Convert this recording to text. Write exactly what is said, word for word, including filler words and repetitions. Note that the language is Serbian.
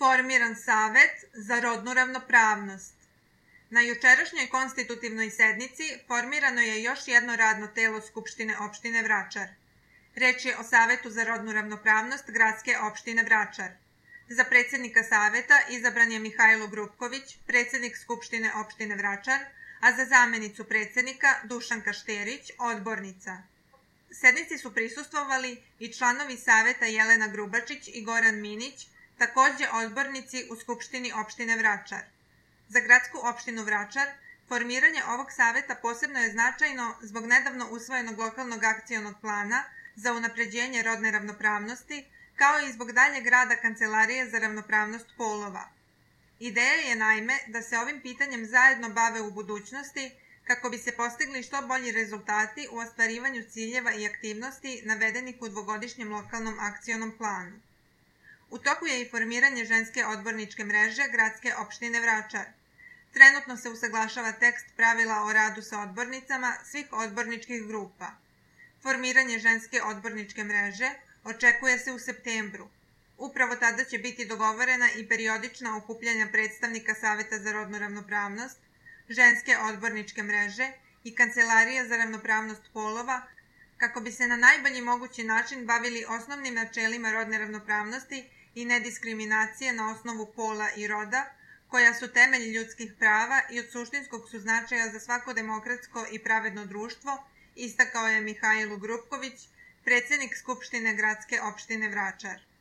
formiran Savet za rodnu ravnopravnost. Na jučerašnjoj konstitutivnoj sednici formirano je još jedno radno telo Skupštine opštine Vračar. Reč je o Savetu za rodnu ravnopravnost Gradske opštine Vračar. Za predsjednika Saveta izabran je Mihajlo Grupković, predsjednik Skupštine opštine Vračar, a za zamenicu predsjednika Dušanka Šterić, odbornica. Sednici su prisustvovali i članovi Saveta Jelena Grubačić i Goran Minić, takođe odbornici u Skupštini opštine Vračar. Za Gradsku opštinu Vračar formiranje ovog saveta posebno je značajno zbog nedavno usvojenog lokalnog akcionog plana za unapređenje rodne ravnopravnosti, kao i zbog daljeg rada Kancelarije za ravnopravnost polova. Ideja je naime da se ovim pitanjem zajedno bave u budućnosti kako bi se postigli što bolji rezultati u ostvarivanju ciljeva i aktivnosti navedenih u dvogodišnjem lokalnom akcionom planu. U toku je i formiranje ženske odborničke mreže Gradske opštine Vračar. Trenutno se usaglašava tekst pravila o radu sa odbornicama svih odborničkih grupa. Formiranje ženske odborničke mreže očekuje se u septembru. Upravo tada će biti dogovorena i periodična okupljanja predstavnika Saveta za rodnu ravnopravnost, ženske odborničke mreže i Kancelarije za ravnopravnost polova, kako bi se na najbolji mogući način bavili osnovnim načelima rodne ravnopravnosti i nediskriminacije na osnovu pola i roda, koja su temelj ljudskih prava i od suštinskog su značaja za svako demokratsko i pravedno društvo, istakao je Mihajlo Grupković, predsjednik Skupštine Gradske opštine Vračar.